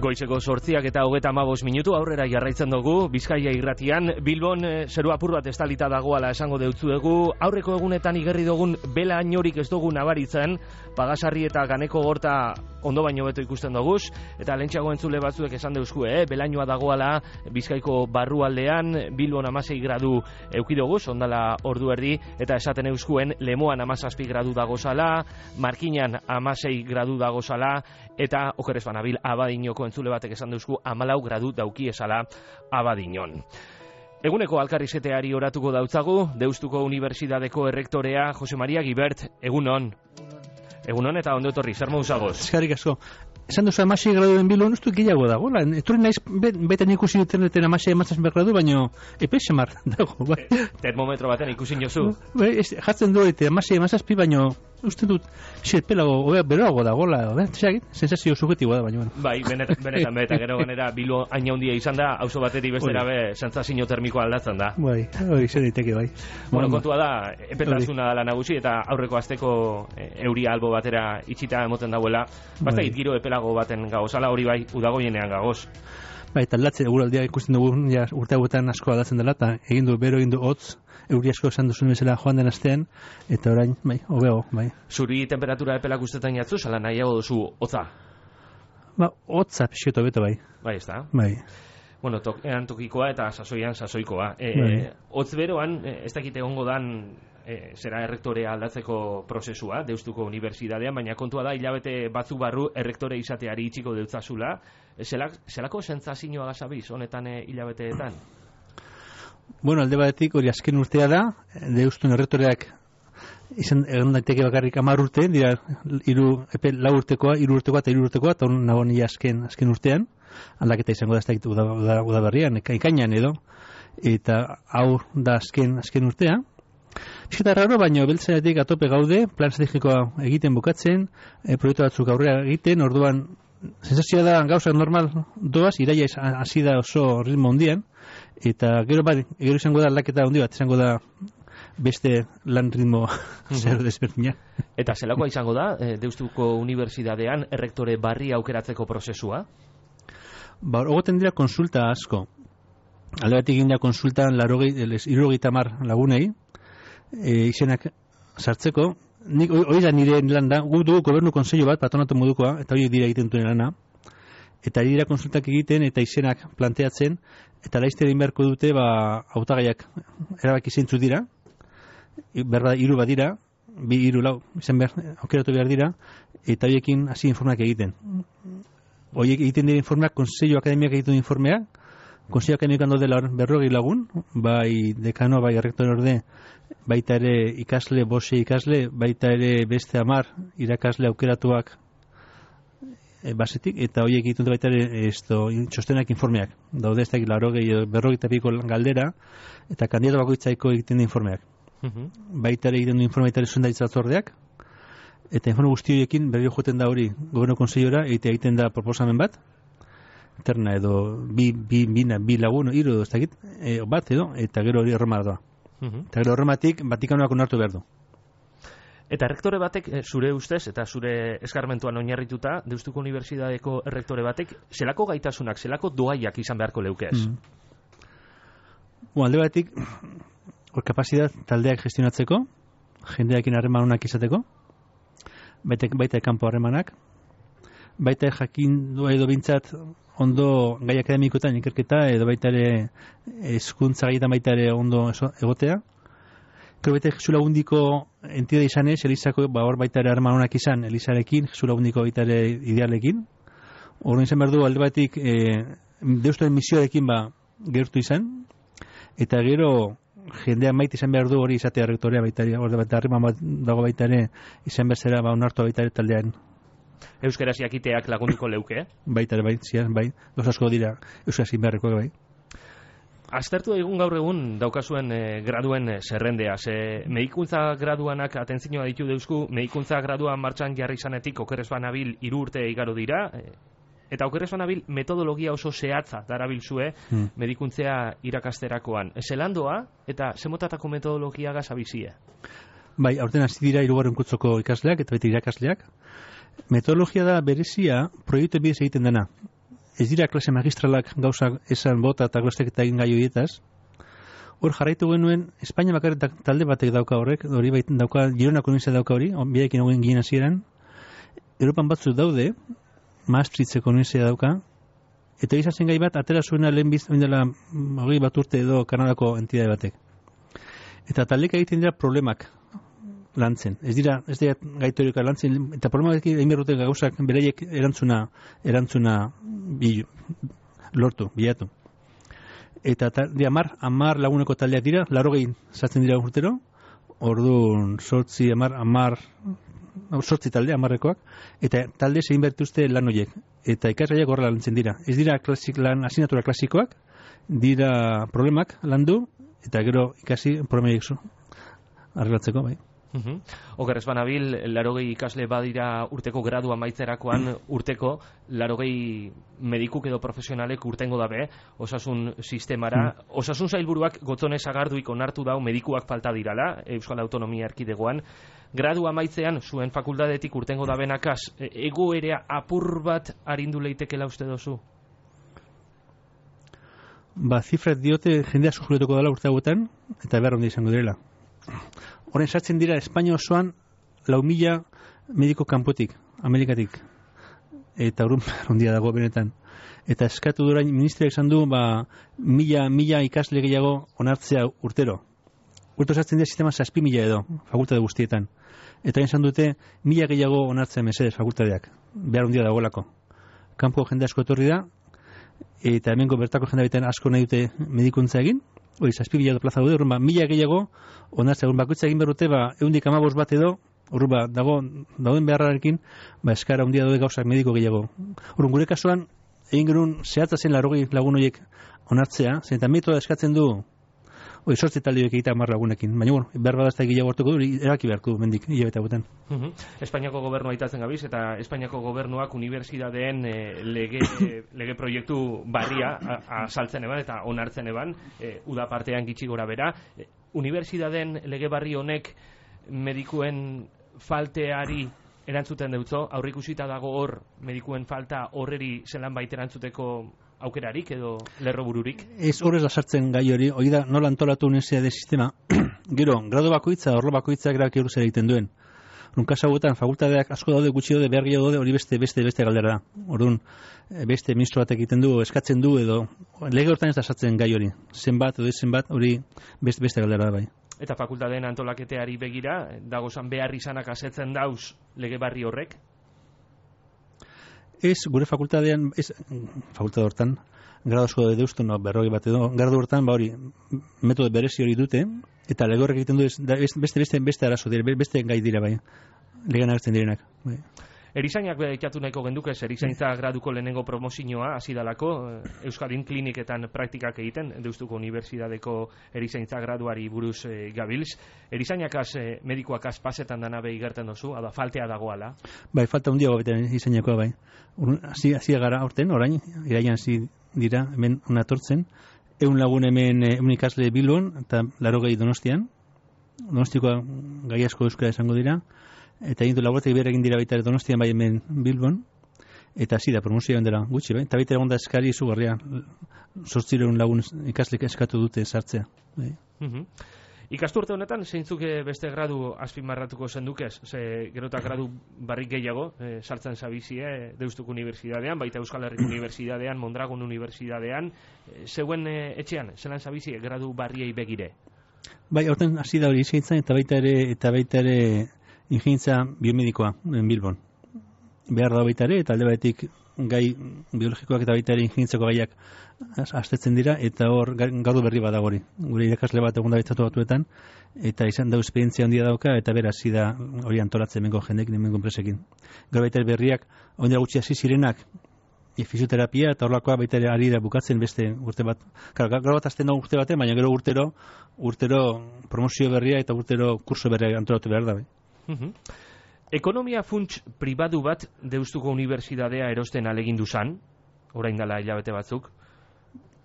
Goizeko 8:35 aurrera jarraitzen dugu, Bizkaia irratian, Bilbon zeru apur bat estalita dagoala esango deutzuegu, aurreko egunetan igerri dugun bela inorik ez dugu nabaritzen, Pagasarri eta Ganeko Gorta ondo baino beto ikusten doguz, eta lentsago entzule batzuek esan deuzkue, belainoa dagoala Bizkaiko barrualdean, Bilbon 16 gradu eukidoguz, ondala ordu erdi, eta esaten euskuen Lemoan 17 gradu dagozala, Markinan 16 gradu dagozala, eta okeres banabil Abadinoko entzule batek esan deuzku 14 gradu dauki esala Abadinon. Eguneko alkarrizeteari oratuko dautzagu, Deustuko Unibertsitateko errektorea Jose Maria Gibert, egunon. Egunon eta ondo etorri, zer mauzagoz? Eskerrik asko. Esan duzu 16 graduen Bilbon, uste gehiago dago. Etorri naiz, beten ikusi interneten 16 gradu, baino epe semar dago. Termometro baten ikusin jozu? Jartzen du, 16 baino uste dut, pelago, beroago dagoela, sensazio subjetiboa da, baina. Bai, benetan, gero ganera, Bilbo haina hundia izan da, auzo bateri bestera be, sentsazio termikoa aldatzen da. Bai, hori izan daiteke, bai. Bueno, kontua da, epetasuna dela nagusi, eta aurreko asteko euria albo batera itxita emoten dauela, basta giro epelago baten gagozala, hori bai, udagoienean gagoz. Bai, eta aldatzen, eguraldia ikusten dugu, urte hauetan asko aldatzen dela, eta egin du bero, egin du hotz, euri asko esan duzun bezala joan den astean, eta orain, bai, hobeo, bai. Zuri temperatura epelak ustetan jatzu, sala nahiago duzu hotza? Ba, hotza pixieto beto, bai. Bai, ez da? Bai. Bueno, tokean tokikoa eta sasoian sasoikoa. Hotz beroan, ez dakit egongo dan, zera errektorea aldatzeko prozesua, Deustuko Unibertsitatean, baina kontua da, hilabete batzuk barru errektore izateari itxiko deutzazula. Zelako sentsazioa gazabiz, honetan hilabeteetan? Bueno, alde batetik hori azken urtea da, Deustun errektoreak izan egon daiteke bakarrik 10 urte, dira 4 urtekoa, 3 urtekoa eta 4 urtekoa, eta hon nago nila azken urtean, aldaketa izango da ez dakit udaberrian, ekainan edo, eta hau da azken urtea. Bizketa raro, baina beltzenetik atope gaude, plan estrategikoa egiten bukatzen, proiektu batzuk aurrera egiten, orduan, sensazioa da gauzak normal doaz, iraia hasi da oso ritmo hondian, eta gero izango da aldaketa handi bat, izango da beste lan ritmo zer desberdina. Eta zelakoa izango da, Deustuko Unibertsitatean errektore barri aukeratzeko prozesua? Ba, ogoten dira konsulta asko. Alde bat egin da konsultan 70 lagunei, izenak sartzeko, hori da nire lan da, gu dugu gobernu konseio bat, patronatu modukoa, eta hori dira egiten duen lana, eta dira konsultak egiten, eta izenak planteatzen, eta laizte egin beharko dute, hautagaiak erabaki zeintzu dira, berda 3 bat dira, 2, 3, 4, izan behar, aukeratu behar dira, eta horiekin hasi informeak egiten. Horiek egiten dira informeak, konseio akademiak egiten duen informeak, konseio akademiak dela 40 lagun, bai dekano, bai errektore orde, baita ere ikasle, 5 ikasle, baita ere beste 10 irakasle aukeratuak basetik, eta horiek egiten baita ere txostenak informeak. Daude ez dakit 40 galdera, eta kandidato bakoitzaiko egiten informeak. Baita ere egiten du informe, baita ere zuzendaritzatzordeak, eta informe guzti horiekin berriro joeten da hori gobernu konseiora, egiten da proposamen bat, terna edo bi lagun, 3 edo ez dakit, bat edo, eta gero hori erroma da. Eta gero horrematik Vatikanoak onartu behar du. Eta errektore batek, zure ustez, eta zure eskarmentuan oinarrituta, Deustuko Unibertsitateko errektore batek, zelako gaitasunak, zelako doaiak izan beharko leukez? Alde batetik, kapazitat taldeak gestionatzeko, jendeakin harreman honak izateko, baita kanpo harremanak, baita jakin du edo bintzat ondo gai akademikoetan ikerketa edo baita ere hezkuntza gaietan baita ere ondo egotea. Gero baita Jesu Lagundiko entidade izanez, Elizako hor baita ere harreman honak izan, Elizarekin, Jesu Lagundiko baita ere idealekin. Horren izan behar du alde batik Deustuaren misioarekin gertu izan, eta gero jendea maite izan behar du hori izatea errektorea baita ere, hor baita harreman bat dago baita ere izan behar zera onartu baita ere taldean. Euskaraz jakiteak lagunduko leuke, Baita ere, bai, dos asko dira euskaraz inbeharrekoak, bai. Aztertu egun gaur egun daukazuen graduen zerrendea. Medikuntza graduanak atentzioa ditu deusku, medikuntza graduan martxan jarri izanetik okerrez banabil 3 urte igaro dira, eta okerrez banabil metodologia oso zehatza darabilzue medikuntzea irakasterakoan. Zelandoa eta zemotatako metodologia gazabizie? Bai, aurten hasi dira 3. kurtsoko ikasleak eta beti irakasleak. Metodologia da berezia proiektu bidez egiten dena. ez dira klase magistralak gauzak esan bota eta glosteketa egin gai horietaz. Hor jarraitu genuen, Espainia bakarrik talde batek dauka horrek, hori baita dauka, Gironako nizia dauka hori, biarekin hauen ginen hasieran. Europan batzuk daude, Maastrichteko nizia dauka, eta izazen gai bat, atera zuena lehen dela 20 bat urte edo Kanadako entidade batek. Eta taldeka egiten dira problemak lantzen. Ez dira gaitorioka lantzen, eta problemak egin berrute gauzak bereiek erantzuna lortu, bilatu. Eta hamar laguneko taldeak dira, 80 sartzen dira urtero, orduan 8 talde, 10ekoak, eta talde egin bertuzte lan horiek. Eta ikasgaiak horrela lantzen dira. Ez dira asignatura klasikoak, dira problemak landu, eta gero ikasi problemak arreglatzeko, bai. Oker ez banabil, 80 ikasle badira urteko gradu amaitzerakoan, urteko 80 medikuk edo profesionalek urtengo dabe, osasun sistemara. Osasun sailburuak gotzonez agarduik onartu dau medikuak falta dirala, Euskal Autonomia Erkidegoan. Gradu amaitzean, zuen fakultatetik urtengo dabenakaz, egoera apur bat arindu leitekela uste dozu? Zifrat diote jendea sujuletuko dela urte hauetan, eta behar hondi izango direla. Horren sartzen dira Espainia osoan 4.000 mediko kanpotik, Amerikatik. Eta horren ondia dago benetan. Eta eskatu durain ministriak esan du, 1.000 ikasle gehiago onartzea urtero. Urto sartzen dira sistema 6.000 edo, fakultate guztietan. Eta esan dute, 1.000 gehiago onartzea mesedez fakultateak. Behar ondia dagoelako. Kanpo jende asko etorri da, eta hemengo bertako jende baitean asko nahi dute medikuntza egin, hori, 6.000 plaza daude, horren 1.000 gehiago, onartzea, bakoitza egin berrute, 115 bat edo, horren dauden beharrarekin, eskara handia daude gauzak mediko gehiago. Horren gure kasuan, egin genuen zehatza zen 80 lagun horiek onartzea, zen eta metoda eskatzen du, hori, 8 taldeoek egitea 10 lagunekin, baina, behar badazta gehiago hartuko du, erabaki beharko du mendik, hilabete hauetan. Espainiako gobernua itatzen gabiz, eta Espainiako gobernuak unibertsidadeen lege proiektu barria asaltzen eban eta onartzen eban, uda partean gitxi gora bera. Unibertsidadeen lege barri honek medikuen falteari erantzuten deutzo, aurrikusita dago hor medikuen falta horreri zelan baita erantzuteko aukerarik edo lerrobururik? Ez horrez da sartzen gai hori da nola antolatu universitate sistema, gero, grado bakoitza, orlo bakoitzak erabaki zer egiten duen. Kasa hauetan, fakultateak asko daude, gutxi daude, behar gehiago daude, hori beste galdera da. Orduan, beste ministro batek egiten du, eskatzen du, edo lege hortan ez da sartzen gai hori. Zenbat, hori beste galdera da bai. Eta fakultateen antolaketeari begira, dagozan behar izanak asetzen dauz lege barri horrek? Ez, gure fakultatean, fakultate hortan, grado asko deuztu, 40 bat edo, grado hortan, hori, metode berezi hori dute, eta lege horrek egiten du, beste arazo dira, beste gai dira bai, legean agertzen direnak. Bai. Erizainak ikatu nahiko genduk ez, erizaintza graduko lehenengo promozioa hasi dalako, Euskadin kliniketan praktikak egiten, Deustuko Unibertsitateko erizaintza graduari buruz gabilz. Erizainak medikoak pasetan dana behi gerten dozu, hada faltea dagoala? Bai, falta hundiago beten erizainakoa bai. Hasi gara aurten, orain, iraian hasi dira, hemen unatortzen, 100 lagun hemen ikasle Bilbon, eta 80 Donostian. Donostikoa gai asko euskara esango dira, eta egin du laboratek behar egin dira baita Donostian bai hemen Bilbon, eta hasi da promozioan dela gutxi, bai? Eta baita egon da eskari izugarria, 800 lagun ikasle eskatu dute sartzea. Bai. Ikasturte honetan, zeintzuk beste gradu azpimarratuko zendukez? Ze gerotak gradu barrik gehiago, sartzen zabizie Deustuko Unibertsitatean, baita Euskal Herriko Unibertsitatean, Mondragon Unibertsitatean, zeuen etxean, zelan zabizie gradu barriei begire? Bai, horten hasi da hori izaitzen, eta baita ere ingenietza biomedikoa Bilbon. Behar da baita ere, eta alde batetik gai biologikoak eta baita ere ingenitzako gaiak astetzen dira, eta hor gradu berri bat hori. Gure irakasle bat egun da bitzatu batuetan, eta izan da esperientzia handia dauka, eta beraz hasi da hori antolatzen mengo jendek, mengo enpresekin. Gero baita ere berriak, hori da gutxi hasi zirenak, fisioterapia, eta horlakoa baita ere ari da bukatzen beste urte bat. Gero bat azten da urte batean, baina gero urtero promozio berria eta urtero kurso berria antolatu behar da. Ekonomia funts pribatu bat Deustuko Unibertsitatea erosten alegindu zan, orain dela hilabete batzuk,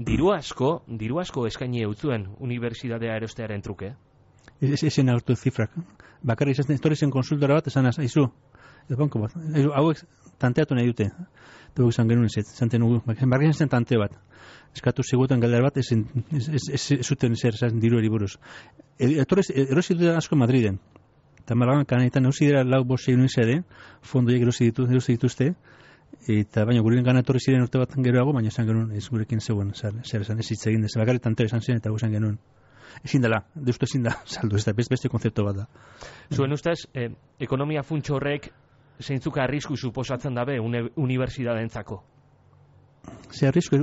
diru asko eskaini eutzuen unibertsitatea erostearen truke. Esen hartu zifrak. Bakarri izan, etorri zen konsultora bat, esan aizu, banko bat. Hauek tanteatu nahi dute. dugu izan genuen zanten nugu, bargen zen tante bat. Eskatu ziguten galdera bat, ez zuten zer, diru eriburuz. Erosi dut asko Madriden. Eta Malagan kanetan erosi dira 4-5 universiade, fondoiek erosi dituzte, eta baina guren gana etorri ziren urte bat geroago, baina esan genuen ez gurekin zegoen, zer esan ez hitz egin dez, bakarrik tantero esan ziren eta esan genuen. Ezin dela, deustu ezin da, saldu, ez da, beste konzeptu bat da. Zuen ustez, ekonomia funtso horrek zeintzuk arrisku suposatzen dabe unibertsitatentzako? Ze arrisku,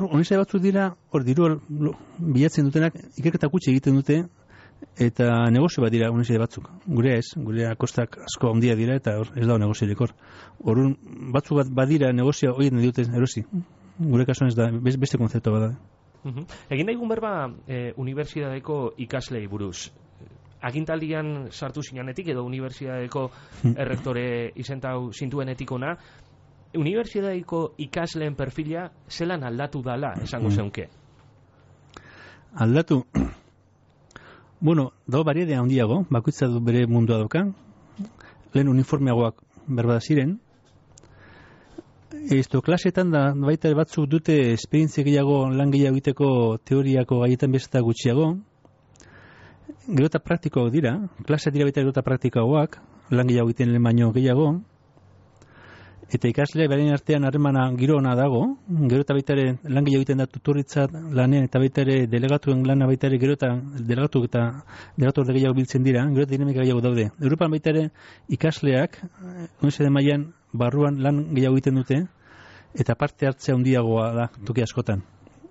honizai batzuk dira, hor diru bilatzen dutenak, ikerketa gutxi egiten dute, eta negozio bat dira unizai batzuk. Gurea ez, gurea kostak asko handia dira, eta ez da negoziorik hor. Horun batzuk bat badira negozioa horien dute erosi. Gure kasuan ez da, beste konzeptu bat da. Egin daigun berba unibertsitateko ikaslei buruz. Agintaldian sartu zinanetik edo unibertsitateko errektore izentau zintuenetik ona, unibertsitateko ikasleen perfila zelan aldatu dala, esango zeunke? Aldatu? Bueno, dago bariedea handiago, bakoitza du bere mundua dauka, lehen uniformeagoak berbada ziren, klasetan da baita batzuk dute esperientzia gehiago, lan gehiago egiteko teoriako gaietan bezeta gutxiago, gero eta praktikoak dira, klasea dira baita gero eta praktikoagoak, lan gehiago egiten lehen baino gehiago, eta ikaslea beren artean harremana giro ona dago, gero eta baita ere lan gehiago egiten da tutoritzat lanean, eta baita ere delegatuen lana baita ere gero eta delegatu gehiago biltzen dira, gero eta dinamika gehiago daude. Europan baita ere ikasleak, unibertsitate mailan barruan lan gehiago egiten dute, eta parte hartzea handiagoa da toki askotan.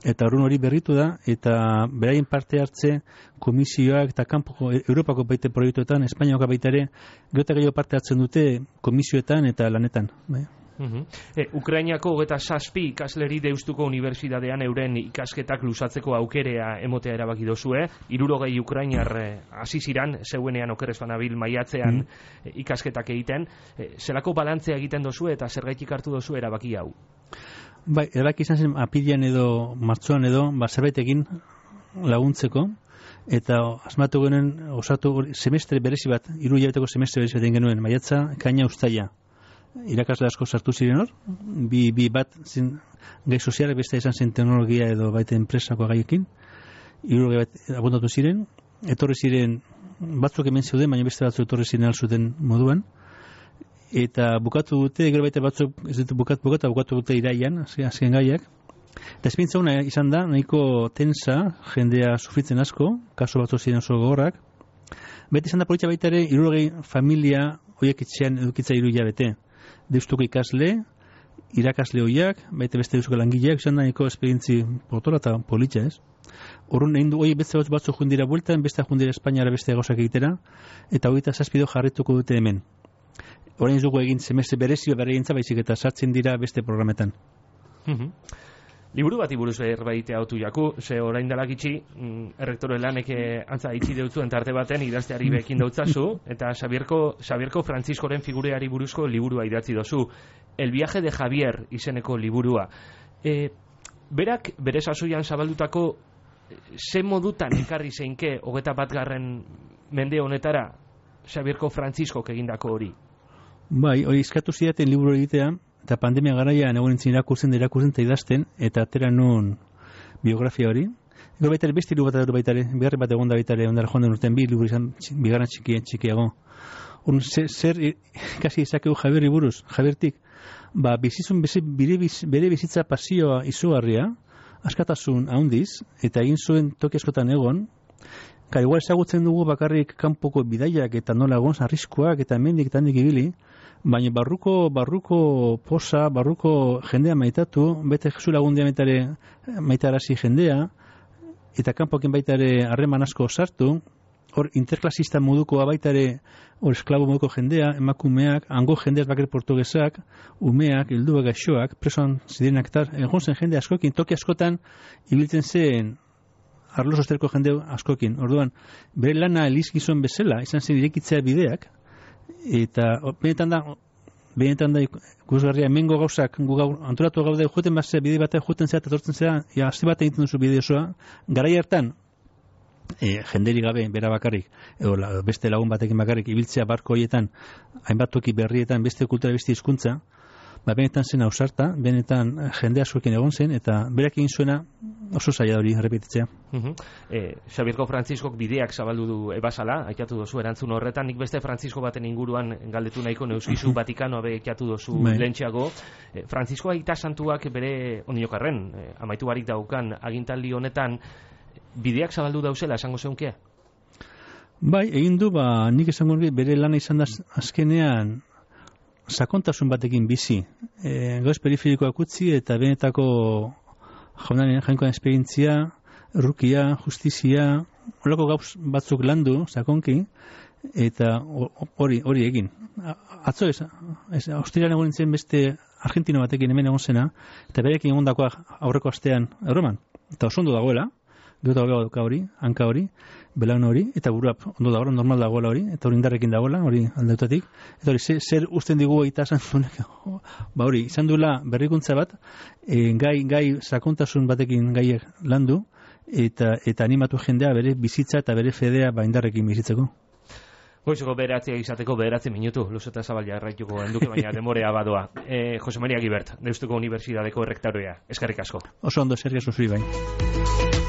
Eta horren hori berritu da, eta beraien parte hartze komisioak eta kanpoko Europako baita proiektuetan, Espainiako baita ere, gero eta gehiago parte hartzen dute komisioetan eta lanetan. Ukrainiako 27 ikasleri Deustuko Unibertsitatean euren ikasketak luzatzeko aukerea emotea erabaki dozue, 60 ukrainar hasi ziran, zeuenean okerrez banabil maiatzean ikasketak egiten, zelako balantzea egiten dozue eta zergaitik hartu dozue erabaki hau? Bai, erabaki izan zen apirian edo martxoan edo, zerbait egin laguntzeko, eta asmatu genuen osatu semestre berezi bat, 3 hilabeteko semestre berezi bat egin genuen, maiatza, kaina ustaia. Irakasle asko sartu ziren hor, bi bat zin, gai sozialak beste izan zen teknologia edo baita enpresako gaiekin, 3 bat abondatu ziren, etorri ziren batzuk hemen zeuden, baina beste batzuk etorri ziren alzuten moduan, eta bukatu dute, gero baita batzuk ez dute bukatu dute iraian, azken gaiak, eta esperientzia una izan da, nahiko tensa, jendea sufritzen asko, kaso batzuk ziren oso gogorrak, beti izan da politia baita ere, 60 familia horiek itxean edukitza 3 hilabete. Deustuko ikasle, irakasle horiak, baita beste deustuko langileak, izan da nahiko esperientzi potola eta politxa ez. Horren egin du, beste batzuk jundira bueltan, beste jundira Espainiara beste gauzak egitera, eta 27 jarrituko dute hemen. Horrein ez dugu egin semestre berezio berregintza baizik eta sartzen dira beste programetan. Liburu bati buruz berbaitea otu jaku, ze orain dalak itxi, errektore lanek antza itxi deutzuen tarte baten idazteari bekin dautzazu, eta Xabierko Frantziskoren figureari buruzko liburua idatzi dozu. El viaje de Javier izeneko liburua. Berak, bere sasoian zabaldutako, ze modutan ekarri zeinke 21. mende honetara Xabierko Frantziskok egindako hori? Bai, hori eskatu zidaten liburu egitea, eta pandemia garaian egon nintzen irakurtzen eta idazten, eta atera nun biografia hori. Ego baita ere beste liburu bat baita ere, beharri bat egon da baita ere, ondara joan den urtean liburu izan bigarren txikiago. Zer kasi izakegu Javierri buruz, Javiertik, bizizun bere bizitza pasioa izugarria, askatasun handiz, eta egin zuen toki askotan egon, igual ezagutzen dugu bakarrik kanpoko bidaiak eta nola egon arriskoak eta hemendik eta handik ibili, baina barruko posa, barruko jendea maitatu, bete Jesu lagundia maitarazi jendea, eta kanpokin baita ere harreman asko sartu, hor interklasista modukoa baita ere, hor esklabo moduko jendea, emakumeak, hango jendeaz bakar portugesak, umeak, helduak, gaixoak, presoan zirenak eta egon zen jende askokin, toki askotan ibiltzen zen arlo sosterko jende askokin. Orduan, bere lana elizgizon bezala, izan zen irekitzea bideak, eta benetan da ikusgarria hemengo gauzak antolatu gaude joeten bazea bide batean joeten zera eta tortzen zera, aste bat egiten duzu bide osoa, garai hartan jenderi gabe, bera bakarrik, edo beste lagun batekin bakarrik, ibiltzea barko horietan, hainbat toki berrietan, beste kultura, beste hizkuntza, benetan zen ausarta, benetan jende askoekin egon zen, eta berak egin zuena oso zaila hori errepetitzea. Xabierko Frantziskok bideak zabaldu du ebasala, aikatu dozu erantzun horretan, nik beste Frantzisko baten inguruan galdetu nahiko neuskizu Vatikanoa aikatu dozu lehentxeago. Frantzisko Aita Santuak bere oniokarren, amaitu barik daukan agintaldi honetan, bideak zabaldu dauzela, esango zeunke? Bai, egin du, nik esango bere lana izan da azkenean sakontasun batekin bizi. Gauz periferikoak utzi eta benetako jainkoan esperientzia, errukia, justizia, horreko gauz batzuk landu, sakonki, eta hori egin. Atzo Austrian egon nintzen beste Argentino batekin hemen egon zena, eta berekin egon dakoa aurreko astean Erroman. Eta oso ondo dagoela, gero dauka hori, hanka hori, belaun hori, eta burua ondo dagoela, normal dagoela hori, eta hori indarrekin dagoela, hori aldeutatik. Eta hori, zer usten digu Aita Santunek, hori, izan duela berrikuntza bat, gai sakontasun batekin gaiek landu, eta animatu jendea bere bizitza eta bere fedea indarrekin bizitzeko. Goizeko bederatzea izateko 9 minutu, luzeta zabalia erraituko enduke, baina demorea badoa. Jose Maria Gibert, Deustuko Unibertsitateko errektorea, eskerrik asko. Oso ondo, eskerrik asko zuri bai.